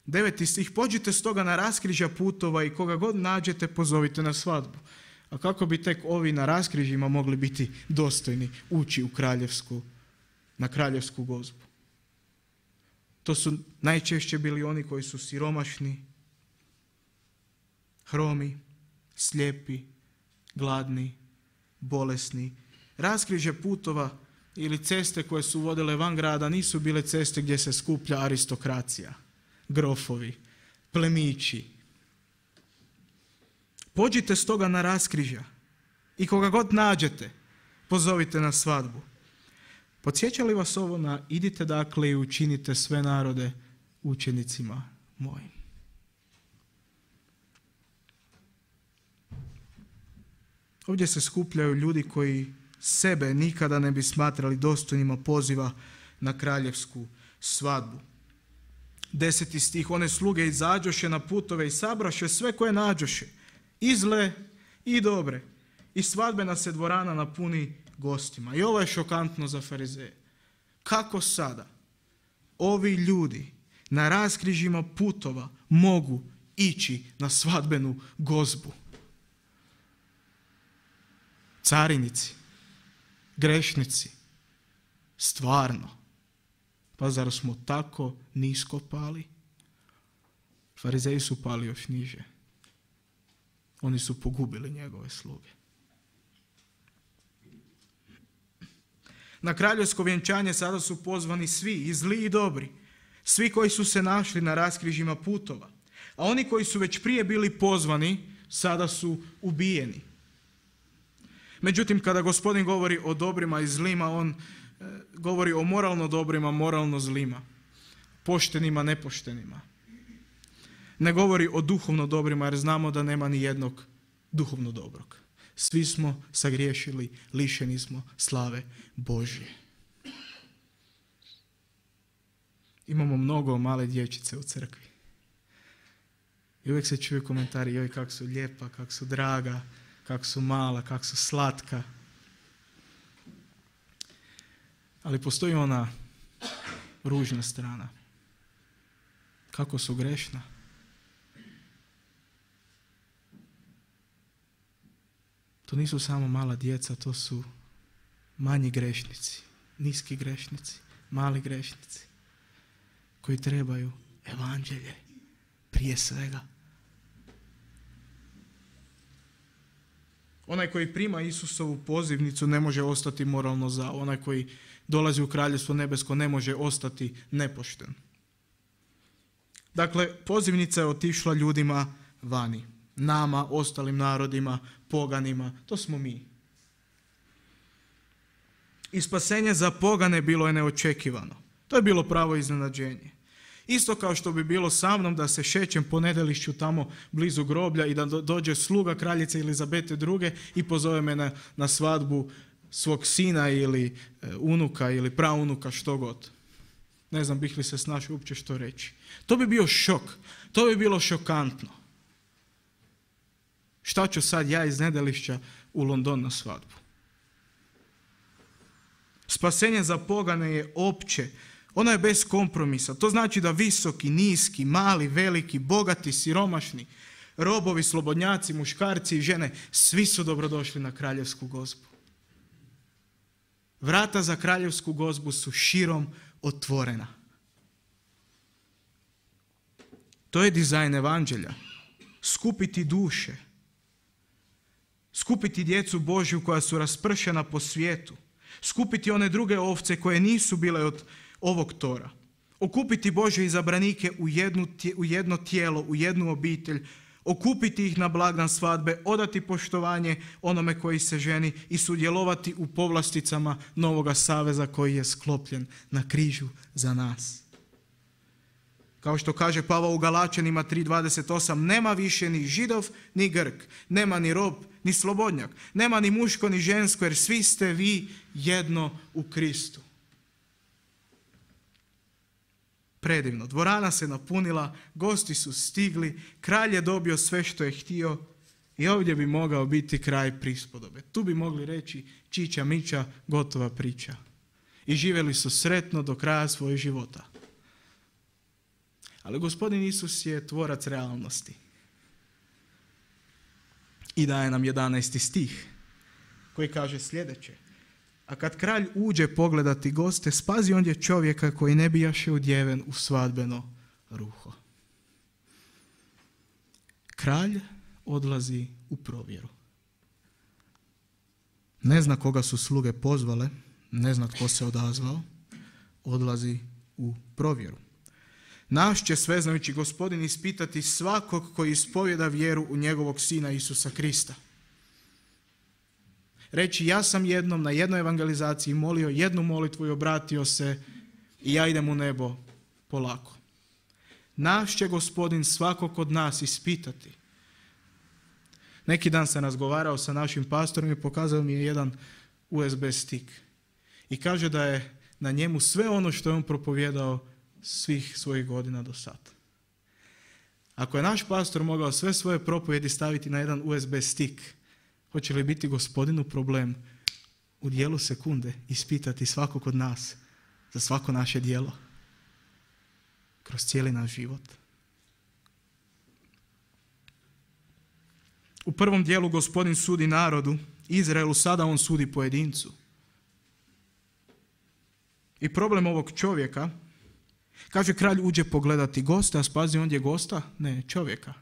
Deveti stih, pođite stoga na raskrižja putova i koga god nađete pozovite na svadbu. A kako bi tek ovi na raskrižjima mogli biti dostojni ući u kraljevsku, na kraljevsku gozbu? To su najčešće bili oni koji su siromašni, hromi, slijepi, gladni, bolesni. Raskrižje putova ili ceste koje su vodile van grada nisu bile ceste gdje se skuplja aristokracija, grofovi, plemići. Pođite stoga na raskrižja i koga god nađete, pozovite na svadbu. Podsjeća li vas ovo na idite dakle i učinite sve narode učenicima mojim? Ovdje se skupljaju ljudi koji sebe nikada ne bi smatrali dostojnima poziva na kraljevsku svadbu. Deseti stih, one sluge izađoše na putove i sabraše sve koje nađoše, i zle i dobre, i svadbena se dvorana napuni gostima. I ovo je šokantno za farizeje. Kako sada ovi ljudi na raskrižjima putova mogu ići na svadbenu gozbu? Carinici, grešnici, stvarno. Pa zar smo tako nisko pali? Farizeji su pali još niže. Oni su pogubili njegove sluge. Na kraljevsko vjenčanje sada su pozvani svi, i zli i dobri. Svi koji su se našli na raskrižjima putova. A oni koji su već prije bili pozvani, sada su ubijeni. Međutim, kada Gospodin govori o dobrima i zlima, on e, govori o moralno dobrima, moralno zlima. Poštenima, nepoštenima. Ne govori o duhovno dobrima, jer znamo da nema ni jednog duhovno dobrog. Svi smo sagriješili, lišeni smo slave Božje. Imamo mnogo male dječice u crkvi. I uvijek se čuju komentari, joj kak su lijepa, kak su draga, kak su mala, kak su slatka. Ali postoji ona ružna strana. Kako su grešna. To nisu samo mala djeca, to su manji grešnici, niski grešnici, mali grešnici koji trebaju evanđelje prije svega. Onaj koji prima Isusovu pozivnicu ne može ostati moralno zao. Onaj koji dolazi u kraljevstvo nebesko ne može ostati nepošten. Dakle, pozivnica je otišla ljudima vani. Nama, ostalim narodima, poganima. To smo mi. I spasenje za pogane bilo je neočekivano. To je bilo pravo iznenađenje. Isto kao što bi bilo sa mnom da se šećem po Nedelišću tamo blizu groblja i da dođe sluga kraljice Elizabete druge i pozove me na, na svadbu svog sina ili e, unuka ili praunuka, što god. Ne znam bih li se snašao uopće što reći. To bi bio šok. To bi bilo šokantno. Šta ću sad ja iz Nedelišća u London na svadbu? Spasenje za pogane je opće. Ono je bez kompromisa. To znači da visoki, niski, mali, veliki, bogati, siromašni, robovi, slobodnjaci, muškarci i žene, svi su dobrodošli na kraljevsku gozbu. Vrata za kraljevsku gozbu su širom otvorena. To je dizajn evanđelja. Skupiti duše. Skupiti djecu Božju koja su raspršena po svijetu. Skupiti one druge ovce koje nisu bile od ovog tora. Okupiti Božje izabranike u, jednu, u jedno tijelo, u jednu obitelj. Okupiti ih na blagdan svadbe, odati poštovanje onome koji se ženi i sudjelovati u povlasticama novoga saveza koji je sklopljen na križu za nas. Kao što kaže Pavao u Galačanima tri dvadeset osam, nema više ni Židov ni Grk, nema ni rob ni slobodnjak, nema ni muško ni žensko, jer svi ste vi jedno u Kristu. Predivno. Dvorana se napunila, gosti su stigli, kralj je dobio sve što je htio i ovdje bi mogao biti kraj prispodobe. Tu bi mogli reći čiča miča, gotova priča. I živjeli su sretno do kraja svojih života. Ali gospodin Isus je tvorac realnosti. I daje nam jedanaesti stih koji kaže sljedeće. A kad kralj uđe pogledati goste, spazi ondje čovjeka koji ne bijaše udjeven u svadbeno ruho. Kralj odlazi u provjeru. Ne zna koga su sluge pozvale, ne zna tko se odazvao, odlazi u provjeru. Naš će sveznajući gospodin ispitati svakog koji ispovjeda vjeru u njegovog sina Isusa Krista. Reći, ja sam jednom na jednoj evangelizaciji molio jednu molitvu i obratio se i ja idem u nebo polako. Naš će gospodin svakog od nas ispitati. Neki dan sam razgovarao sa našim pastorom i pokazao mi je jedan U S B stik. I kaže da je na njemu sve ono što je on propovijedao svih svojih godina do sad. Ako je naš pastor mogao sve svoje propovjedi staviti na jedan U S B stik, hoće li biti gospodinu problem u dijelu sekunde ispitati svakog od nas za svako naše djelo kroz cijeli naš život? U prvom dijelu gospodin sudi narodu, Izraelu, sada on sudi pojedincu. I problem ovog čovjeka, kaže kralj uđe pogledati gosta, a spazi ondje gosta? Ne, čovjeka.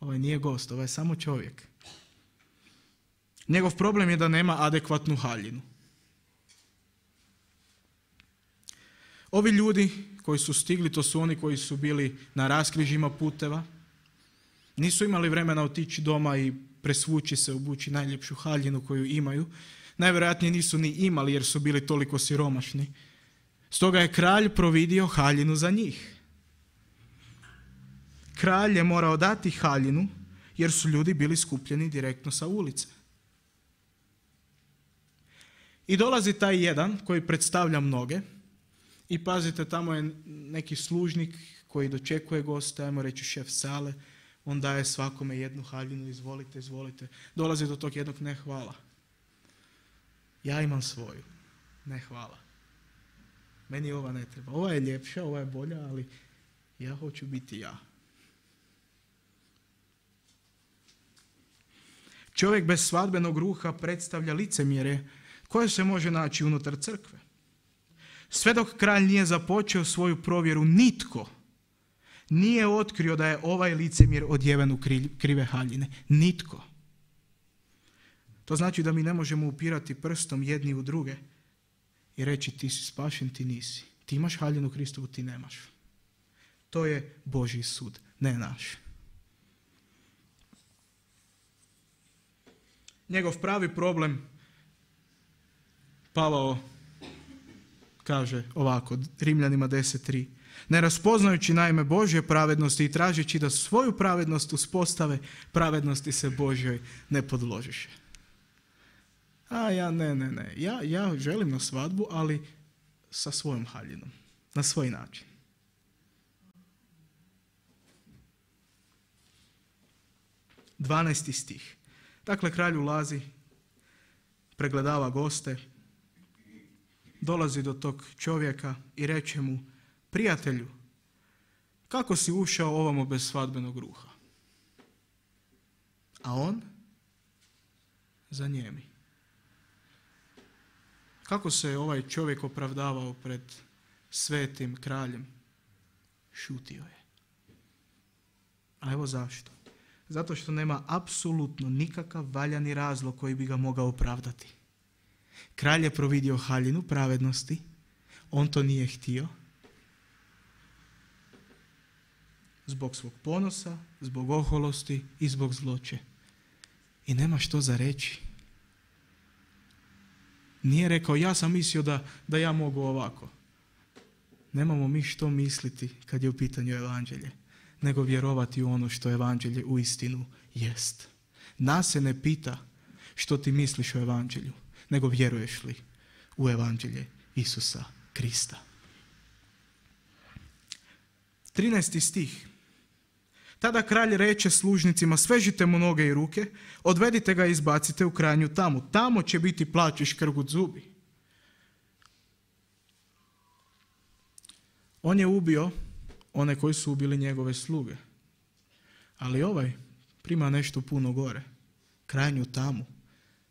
Ovaj nije gost, ovaj je samo čovjek. Njegov problem je da nema adekvatnu haljinu. Ovi ljudi koji su stigli, to su oni koji su bili na raskrižjima puteva. Nisu imali vremena otići doma i presvući se, obući najljepšu haljinu koju imaju. Najvjerojatnije nisu ni imali jer su bili toliko siromašni. Stoga je kralj providio haljinu za njih. Kralj je morao dati haljinu jer su ljudi bili skupljeni direktno sa ulice. I dolazi taj jedan koji predstavlja mnoge i pazite, tamo je neki služnik koji dočekuje goste, ajmo reći šef sale, on daje svakome jednu haljinu, izvolite, izvolite. Dolazi do tog jednog, ne hvala. Ja imam svoju, ne hvala. Meni ova ne treba. Ova je ljepša, ova je bolja, ali ja hoću biti ja. Čovjek bez svadbenog ruha predstavlja licemjerje koje se može naći unutar crkve. Sve dok kralj nije započeo svoju provjeru, nitko nije otkrio da je ovaj licemjer odjeven u krive haljine. Nitko. To znači da mi ne možemo upirati prstom jedni u druge i reći ti si spašen, ti nisi. Ti imaš haljinu Kristovu, ti nemaš. To je Božji sud, ne naš. Njegov pravi problem, Pavao kaže ovako, Rimljanima deset tri. Ne raspoznajući naime Božje pravednosti i tražeći da svoju pravednost uspostave, pravednosti se Božjoj ne podložiše. A ja ne, ne, ne. Ja, ja želim na svadbu, ali sa svojom haljinom. Na svoj način. dvanaesti stih. Dakle, kralj ulazi, pregledava goste, dolazi do tog čovjeka i reče mu, prijatelju, kako si ušao ovamo bez svadbenog ruha? A on zanijemi. Kako se ovaj čovjek opravdavao pred svetim kraljem? Šutio je. A evo zašto. Zato što nema apsolutno nikakav valjani razlog koji bi ga mogao opravdati. Kralj je providio haljinu pravednosti, on to nije htio. Zbog svog ponosa, zbog oholosti i zbog zloće. I nema što za reći. Nije rekao, ja sam mislio da, da ja mogu ovako. Nemamo mi što misliti kad je u pitanju evanđelje, nego vjerovati u ono što evanđelje uistinu jest. Nas se ne pita što ti misliš o evanđelju, nego vjeruješ li u evanđelje Isusa Krista. trinaesti stih. Tada kralj reče služnicima, svežite mu noge i ruke, odvedite ga i izbacite u krajnju tamu. Tamo će biti plač i škrgut zubi. On je ubio one koji su ubili njegove sluge. Ali ovaj prima nešto puno gore. Krajnju tamu.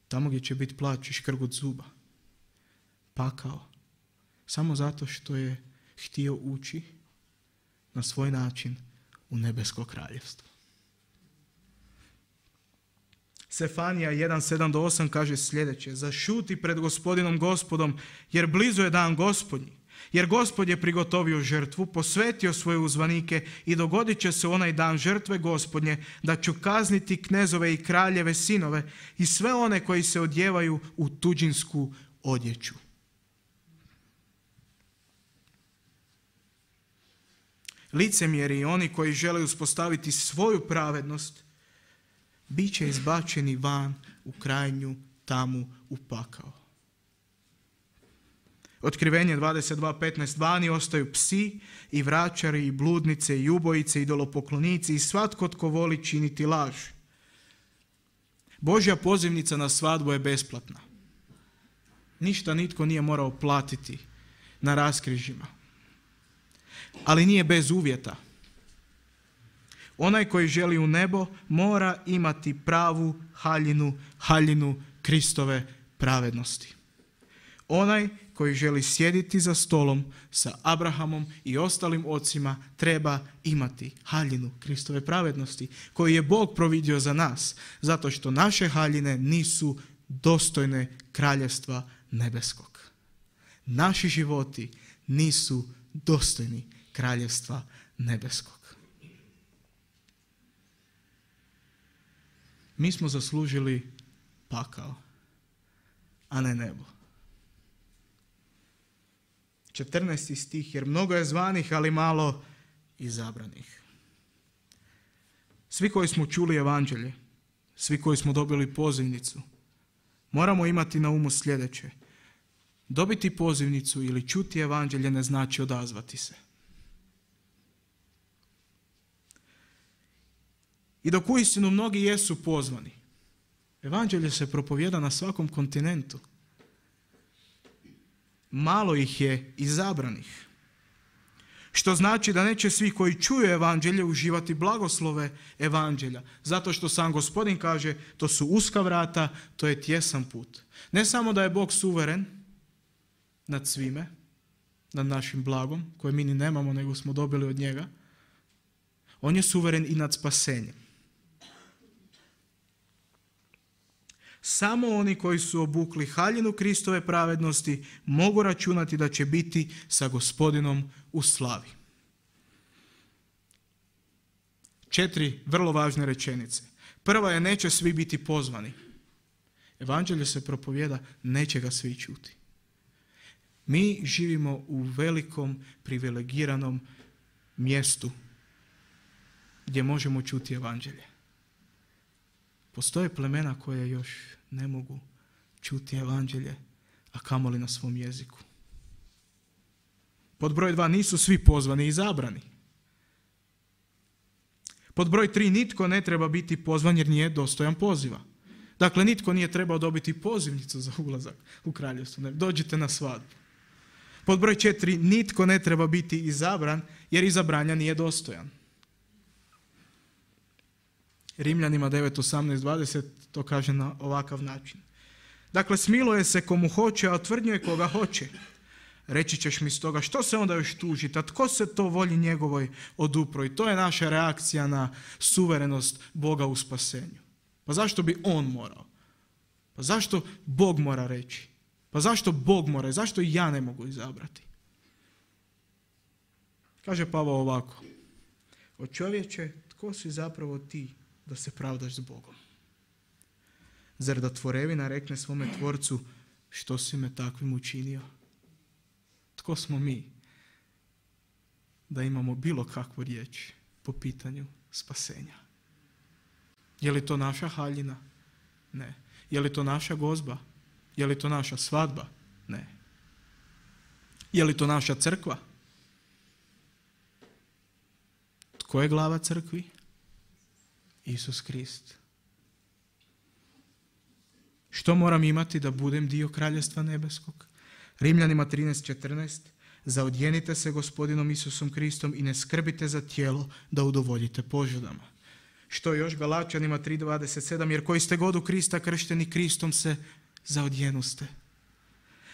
Tamo gdje će biti plač i škrgut zuba. Pakao. Samo zato što je htio ući na svoj način u nebesko kraljevstvo. Sefanija jedan sedam do osam kaže sljedeće. Zašuti pred gospodinom gospodom, jer blizu je dan gospodnji. Jer Gospod je prigotovio žrtvu, posvetio svoje uzvanike i dogodit će se onaj dan žrtve Gospodnje, da ću kazniti knezove i kraljeve sinove i sve one koji se odjevaju u tuđinsku odjeću. Licemjeri i oni koji žele uspostaviti svoju pravednost, bit će izbačeni van u krajnju tamu u pakao. Otkrivenje dvadeset dva petnaest. Vani ostaju psi i vračari i bludnice i ubojice i idolopoklonici i svatko tko voli činiti laž. Božja pozivnica na svadbu je besplatna. Ništa nitko nije morao platiti na raskrižjima. Ali nije bez uvjeta. Onaj koji želi u nebo mora imati pravu haljinu, haljinu Kristove pravednosti. Onaj koji želi sjediti za stolom sa Abrahamom i ostalim ocima treba imati haljinu Kristove pravednosti koju je Bog providio za nas, zato što naše haljine nisu dostojne kraljevstva nebeskog. Naši životi nisu dostojni kraljevstva nebeskog. Mi smo zaslužili pakao, a ne nebo. četrnaesti stih, jer mnogo je zvanih, ali malo izabranih. Svi koji smo čuli evanđelje, svi koji smo dobili pozivnicu, moramo imati na umu sljedeće. Dobiti pozivnicu ili čuti evanđelje ne znači odazvati se. I dok uistinu mnogi jesu pozvani, evanđelje se propovijeda na svakom kontinentu. Malo ih je izabranih. Što znači da neće svi koji čuju evanđelje uživati blagoslove evanđelja. Zato što sam Gospodin kaže, to su uska vrata, to je tjesan put. Ne samo da je Bog suveren nad svime, nad našim blagom, koje mi ni nemamo, nego smo dobili od njega. On je suveren i nad spasenjem. Samo oni koji su obukli haljinu Kristove pravednosti mogu računati da će biti sa Gospodinom u slavi. četiri vrlo važne rečenice. Prva je neće svi biti pozvani. Evanđelje se propovijeda, neće ga svi čuti. Mi živimo u velikom, privilegiranom mjestu gdje možemo čuti evanđelje. Postoje plemena koje još ne mogu čuti evanđelje, a kamoli na svom jeziku. Pod broj dva, nisu svi pozvani i izabrani. Pod broj tri, nitko ne treba biti pozvan jer nije dostojan poziva. Dakle, nitko nije trebao dobiti pozivnicu za ulazak u kraljevstvo. Ne, dođite na svadbu. Pod broj četiri, nitko ne treba biti izabran jer izabranja nije dostojan. Rimljanima devet, osamnaest, dvadeset to kaže na ovakav način. Dakle, smiluje se komu hoće, a otvrdnjuje koga hoće. Reći ćeš mi stoga, što se onda još tužiti, a tko se to volji njegovoj odupro? I to je naša reakcija na suverenost Boga u spasenju. Pa zašto bi on morao? Pa zašto Bog mora reći? Pa zašto Bog mora? Zašto i ja ne mogu izabrati? Kaže Pavao ovako. O čovječe, tko si zapravo ti da se pravdaš s Bogom? Zar da tvorevina rekne svome tvorcu, što si me takvim učinio? Tko smo mi da imamo bilo kakvu riječ po pitanju spasenja? Je li to naša haljina? Ne. Je li to naša gozba? Je li to naša svadba? Ne. Je li to naša crkva? Tko je glava crkvi? Isus Krist. Što moram imati da budem dio Kraljevstva nebeskog? Rimljanima trinaest, četrnaest. Zaodjenite se Gospodinom Isusom Kristom i ne skrbite za tijelo da udovoljite požudama. Što još Galačanima tri, dvadeset sedam. Jer koji ste god u Krista kršteni, Kristom se zaodjenuste.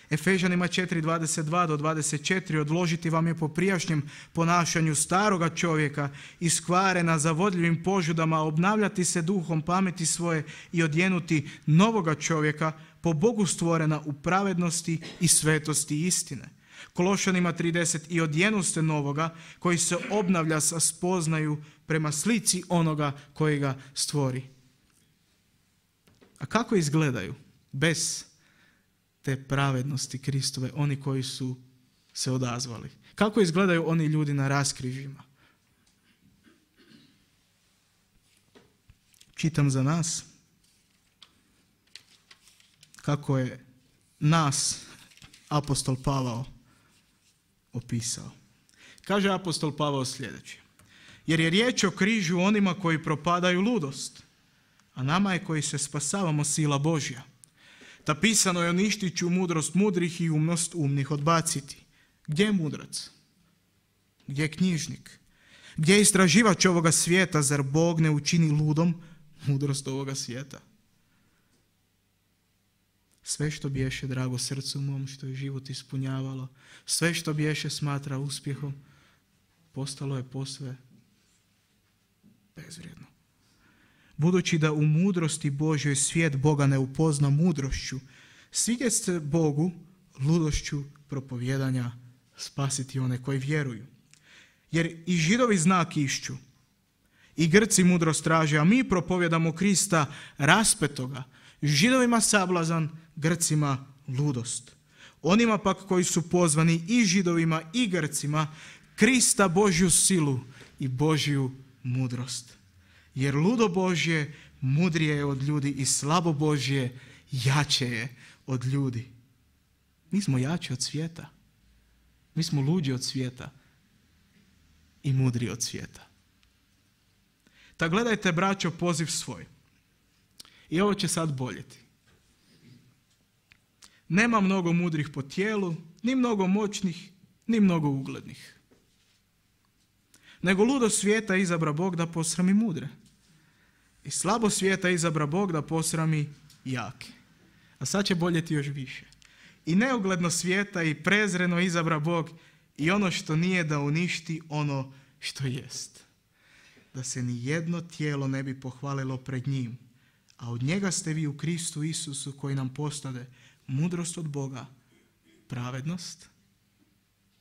Efežanima četiri, dvadeset dva do dvadeset četiri. Odložiti vam je po prijašnjem ponašanju staroga čovjeka, iskvarena zavodljivim požudama, obnavljati se duhom pameti svoje i odjenuti novoga čovjeka, po Bogu stvorena u pravednosti i svetosti istine. Kološanima trideset. I odjenuste novoga koji se obnavlja sa spoznaju prema slici onoga koji ga stvori. A kako izgledaju bez te pravednosti Kristove oni koji su se odazvali? Kako izgledaju oni ljudi na raskrižjima? Čitam za nas kako je nas apostol Pavao opisao. Kaže apostol Pavao sljedeće. Jer je riječ o križu onima koji propadaju ludost, a nama je koji se spasavamo sila Božja. Ta pisano je uništit ću mudrost mudrih i umnost umnih odbaciti. Gdje je mudrac? Gdje je knjižnik? Gdje je istraživač ovoga svijeta? Zar Bog ne učini ludom mudrost ovoga svijeta? Sve što biješe drago srcu mom, što je život ispunjavalo, sve što biješe smatra uspjehom, postalo je posve bezvrijedno. Budući da u mudrosti Božjoj svijet Boga ne upozna mudrošću, svidjet se Bogu ludošću propovjedanja spasiti one koji vjeruju. Jer i Židovi znak išću, i Grci mudrost traže, a mi propovjedamo Krista raspetoga, Židovima sablazan, Grcima ludost. Onima pak koji su pozvani i Židovima i Grcima, Krista Božju silu i Božju mudrost. Jer ludo Božje mudrije je od ljudi i slabo Božje jače je od ljudi. Mi smo jači od svijeta. Mi smo luđi od svijeta i mudri od svijeta. Ta gledajte, braćo, poziv svoj. I ovo će sad boljeti. Nema mnogo mudrih po tijelu, ni mnogo moćnih, ni mnogo uglednih. Nego ludo svijeta izabra Bog da posrami mudre. I slabo svijeta izabra Bog da posrami jake. A sad će boljeti još više. I neugledno svijeta i prezreno izabra Bog i ono što nije da uništi ono što jest. Da se ni jedno tijelo ne bi pohvalilo pred njim. A od njega ste vi u Kristu Isusu koji nam postade mudrost od Boga, pravednost,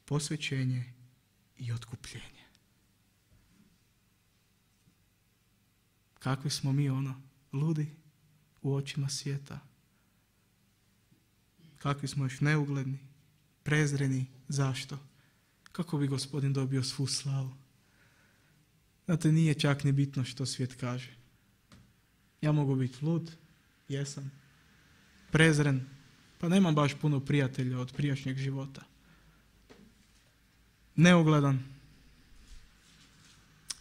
posvećenje i otkupljenje. kakvi smo mi ono, ludi u očima svijeta. Kakvi smo još neugledni, prezreni. Zašto? Kako bi Gospodin dobio svu slavu? Znate, nije čak ni bitno što svijet kaže. Ja mogu biti lud, jesam, prezren, pa nemam baš puno prijatelja od prijašnjeg života. Neugledan.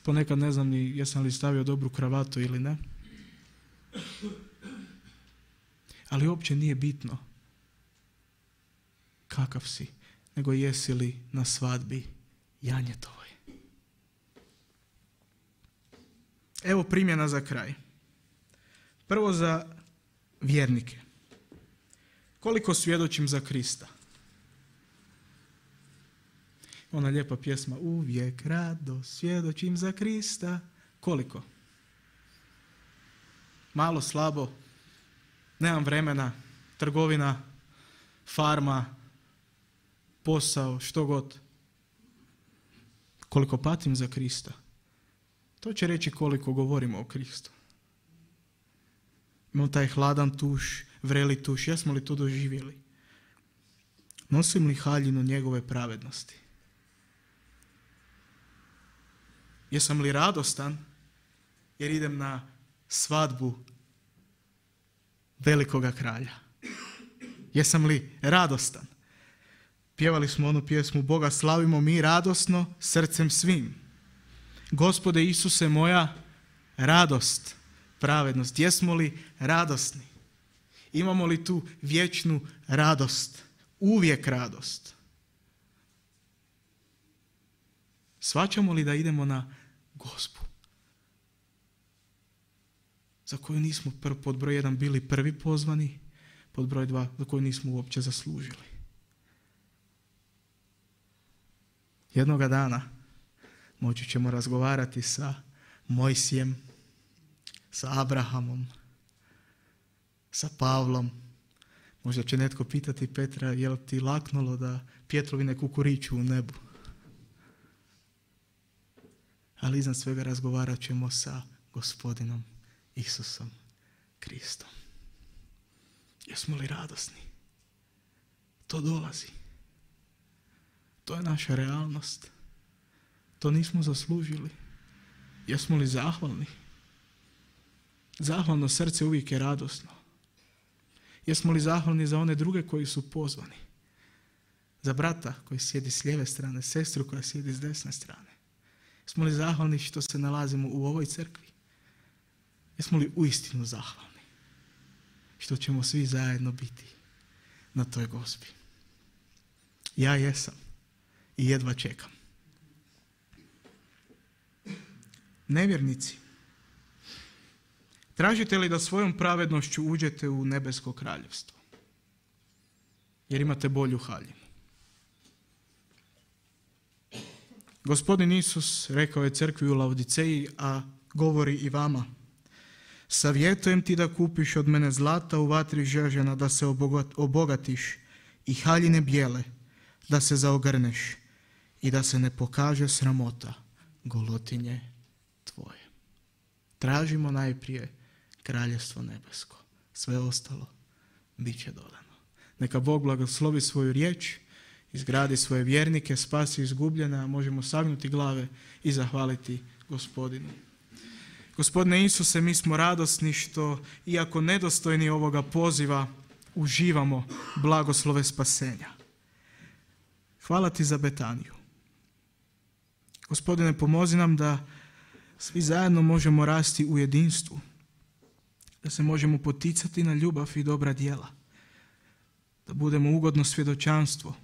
Ponekad ne znam ni jesam li stavio dobru kravatu ili ne. Ali uopće nije bitno kakav si, nego jesi li na svadbi janjetovoj. Evo primjena za kraj. Prvo za vjernike. Koliko svjedočim za Krista? Ona lijepa pjesma, uvijek rado svjedočim za Krista. Koliko? Malo, slabo, nemam vremena, trgovina, farma, posao, što god. Koliko patim za Krista? To će reći koliko govorimo o Kristu. Imamo taj hladan tuš, vreli tuš, jesmo li to doživjeli? Nosim li haljinu njegove pravednosti? Jesam li radostan jer idem na svadbu velikoga kralja? Jesam li radostan? Pjevali smo onu pjesmu Boga slavimo mi radosno srcem svim. Gospode Isuse moja radost, pravednost. Jesmo li radosni? Imamo li tu vječnu radost? Uvijek radost. Shvaćamo li da idemo na gozbu za koju nismo pr- pod broj jedan bili prvi pozvani, pod broj dva za koju nismo uopće zaslužili? Jednoga dana moći ćemo razgovarati sa Mojsijem, sa Abrahamom, sa Pavlom. Možda će netko pitati Petra, je li ti laknulo da pjetrovine kukuriću u nebu? Ali iznad svega razgovarat ćemo sa Gospodinom Isusom Kristom. Jesmo li radosni? To dolazi. To je naša realnost. To nismo zaslužili. Jesmo li zahvalni? Zahvalno srce uvijek je radosno. Jesmo li zahvalni za one druge koji su pozvani? Za brata koji sjedi s lijeve strane, sestru koja sjedi s desne strane. Jesmo li zahvalni što se nalazimo u ovoj crkvi? Jesmo li uistinu zahvalni što ćemo svi zajedno biti na toj gozbi? Ja jesam i jedva čekam. Nevjernici, tražite li da svojom pravednošću uđete u nebesko kraljevstvo? Jer imate bolju haljinu. Gospodin Isus rekao je crkvi u Laodiceji, a govori i vama: savjetujem ti da kupiš od mene zlata u vatri žežena, da se obogatiš, i haljine bijele, da se zaogrneš i da se ne pokaže sramota golotinje tvoje. Tražimo najprije kraljevstvo nebesko. Sve ostalo bit će dodano. Neka Bog blagoslovi svoju riječ, izgradi svoje vjernike, spasi izgubljene, a možemo sagnuti glave i zahvaliti Gospodinu. Gospodine Isuse, mi smo radosni što, iako nedostojni ovoga poziva, uživamo blagoslove spasenja. Hvala ti za Betaniju. Gospodine, pomozi nam da svi zajedno možemo rasti u jedinstvu, da se možemo poticati na ljubav i dobra djela, da budemo ugodno svjedočanstvo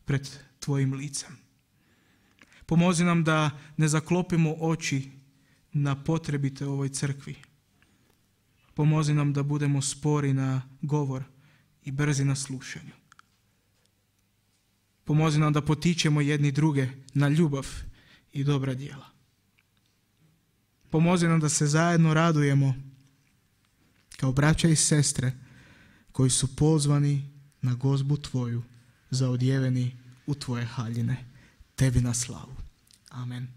pred tvojim licem. Pomozi nam da ne zaklopimo oči na potrebite ovoj crkvi. Pomozi nam da budemo spori na govor i brzi na slušanju. Pomozi nam da potičemo jedni druge na ljubav i dobra djela. Pomozi nam da se zajedno radujemo kao braća i sestre koji su pozvani na gozbu tvoju, zaodjeveni u tvoje haljine. Tebi na slavu. Amen.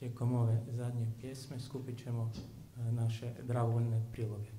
Tijekom ove zadnje pjesme skupit ćemo e, naše dragovoljne priloge.